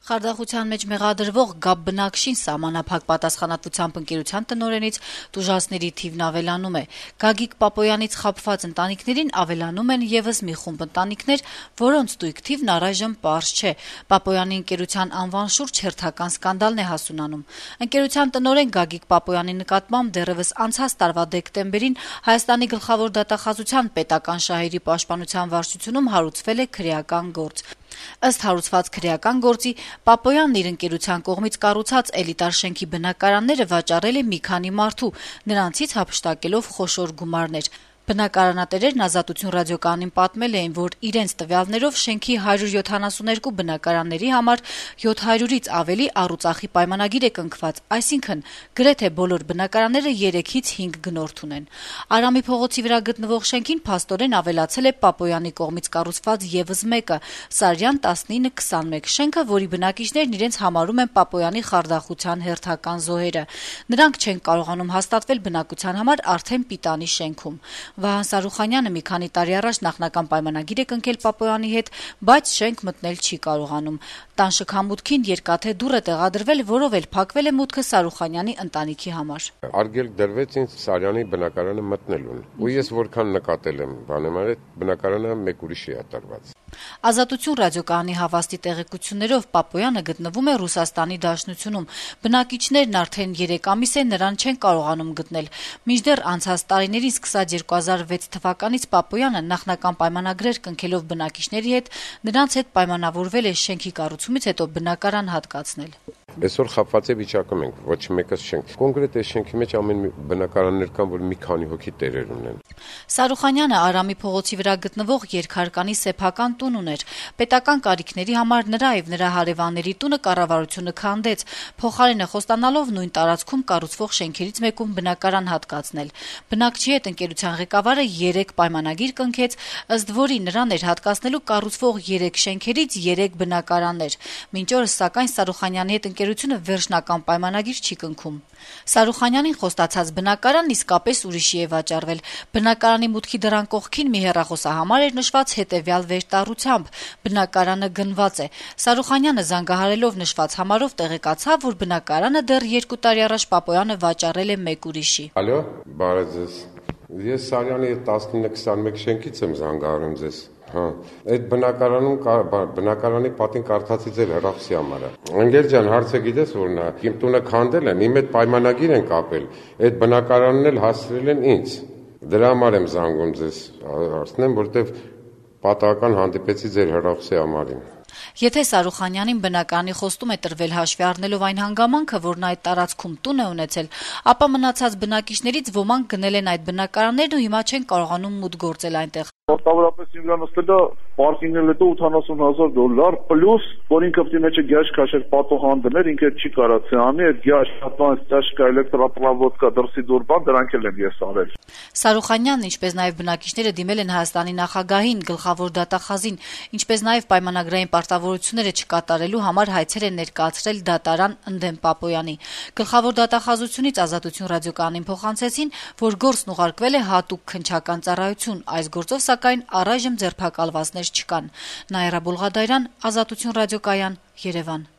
Խարդախության մեջ մեղադրվող ԳԱԲ բնակչին սահմանափակ պատասխանատվությամբ ընկերության տնօրենից տուժածների թիվն ավելանում է։ Գագիկ Պապոյանից խաբված ընտանիքներին ավելանում են եւս մի խումբ ընտանիքներ, որոնց տույք թիվն առայժմ պարզ չէ։ Պապոյանի ընկերության անվան շուրջ հերթական սկանդալն է հասունանում։ Ընկերության տնօրեն Գագիկ Պապոյանի նկատմամբ դեռեւս անցած տարվա դեկտեմբերին Հայաստանի գլխավոր դատախազության պետական շահերի պաշտպանության վարչությունում հարուցվել է քրեական գործ։ Ըստ հարուցված քրեական գործի Պապոյանն իր ընկերության կողմից կառուցած էլիտար շենքի բնակարանները վաճառել է մի քանի մարդու, նրանցից հափշտակելով խոշոր գումարներ։ Բնակարանատերերն Ազատություն ռադիոկայանին պատմել էին, որ իրենց տվյալներով շենքի 172 բնակարանների համար 700-ից ավելի առուծախի պայմանագիր է կնքված, այսինքն գրեթե բոլոր բնակարանները 3-ից 5 գնորդ ունեն։ Արամի փողոցի վրա գտնվող շենքին փաստորեն ավելացել է Պապոյանի կողմից կառուցված եւս մեկը՝ Սարյան 1921 շենքը, որի բնակիչներն իրենց համարում են Պապոյանի խարդախության հերթական զոհերը։ Նրանք չեն կարողանում հաստատվել բնակության համար արդեն պիտանի շենքում։ Վահան Սարուխանյանը մի քանի տարի առաջ նախնական պայմանագիր է կնքել Պապոյանի հետ, բայց շենք մտնել չի կարողանում։ Տան շքամուտքին երկաթե դուռ է տեղադրվել, որով էլ փակվել է մուտքը Սարուխանյանի ընտանիքի համար։ Արգելք դրվեց ինձ Սարյանի բնակարանը մտնելուն, ու ես որքան նկատել եմ, այդ բնակարանը մեկ ուրիշի է տարված։ Ազատություն ռադիոկայանի հավաստի տեղեկություններով Պապոյանը գտնվում է Ռուսաստանի Դաշնությունում։ Բնակիչներն արդեն 3 ամիս է նրան չեն կարողանում գտնել։ Մինչդեռ անցած տարիներին սկսած 2006 թվականից Պապոյանը նախնական պայմանագրեր կնքելով բնակիչների հետ նրանց հետ պայմանավորվել է շենքի կառուցումից հետո բնակարան հատկացնել։ Այսօր խապված է վիճակում ենք, ոչ մեկս չենք։ Կոնկրետ այս շենքի մեջ ամեն բնակարաններ կան, որ մի քանի հոգի տերեր ունեն։ Սարուխանյանը Արամի փողոցի վրա գտնվող երկհարկանի սեփական տուն ուներ։ Պետական կարիքների համար նրա եւ նրա հարևանների տունը կառավարությունը քանդեց, փոխարենը խոստանալով նույն տարածքում կառուցվող շենքերից մեկում բնակարան հատկացնել։ Բնակչի հետ ընկերության ղեկավարը 3 պայմանագիր կնքեց, ըստ որի նրան էր հատկացնելու կառուցվող 3 շենքերից 3 բնակարաններ։ Մինչ օրս սակայն Սարուխանյանի հետ ընկերությունը վերջնական պայմանագիր չի կնքում։ Սարուխանյանին խոստացած բնակարանն իսկապես ուրիշի է վաճառվել։ Բնակարանի մուտքի դռան կողքին մի հեռախոսահամար էր նշված հետևյալ վերտառությամբ. բնակարանը գնված է։ Սարուխանյանը զանգահարելով նշված համարով տեղեկացավ, որ բնակարանը դեռ 2 տարի առաջ Պապոյանը վաճառել է մեկ ուրիշի։ Ալո, բարև ձեզ։ Ես Սարյանի 1921 շենքից եմ զանգահարում ձեզ։ Այդ բնակարանի պատին կարդացի ձեր հեռախոսի համարը։ Ընկեր ջան, հարցը գիտես որն է, իմ տունը քանդել են, իմ հետ պայմանագիր են կապել, այդ բնակարանն էլ հասցրել են ինձ։ Դրա համար եմ զանգում ձեզ, հարցնեմ, որտեվ պատահական հանդիպեցի ձեր հեռախոսի համարին։ Եթե Սարուխանյանին բնակարանի խոստում է տրվել հաշվի առնելով այն հանգամանքը, որ նա այդ տարածքում տուն է ունեցել, ապա մնացած բնակիչներից ոմանք գնել են այդ բնակարաններն ու հիմա չեն կարողանում մուտք գործել այնտեղ։ Մոտավորապես ինձ նստելա պարկինգն էլ $80,000 պլյուս, որ ինքը պետք է մեջը գյաշ քաշեր պատողան դներ, ինքը չի կարացի անի, այդ գյաշ հատման ստաշկա էլեկտրապրավոդկա դրսի դուրբան դրանք էլ եմ ես արել։ Սարուխանյանն, ինչպես նաև բնակիչները դիմել են Հայաստանի նախագահին, գլխավոր դատախազին, ինչպես նաև պայմանագրային պարտավորությունները չկատարելու համար հայցեր են ներկայացրել դատարան ընդդեմ Պապոյանի։ Գլխավոր դատախազությունից Ազատություն ռադիոկայանին փոխանցեցին, որ գործն ուղարկվել է հատուկ քննչական ծառայություն, այս գործով սակայն առայժմ ձերբակալվածներ չկան։ Նաիրա Բուլղադարյան, Ազատություն ռադիոկայան, Երևան։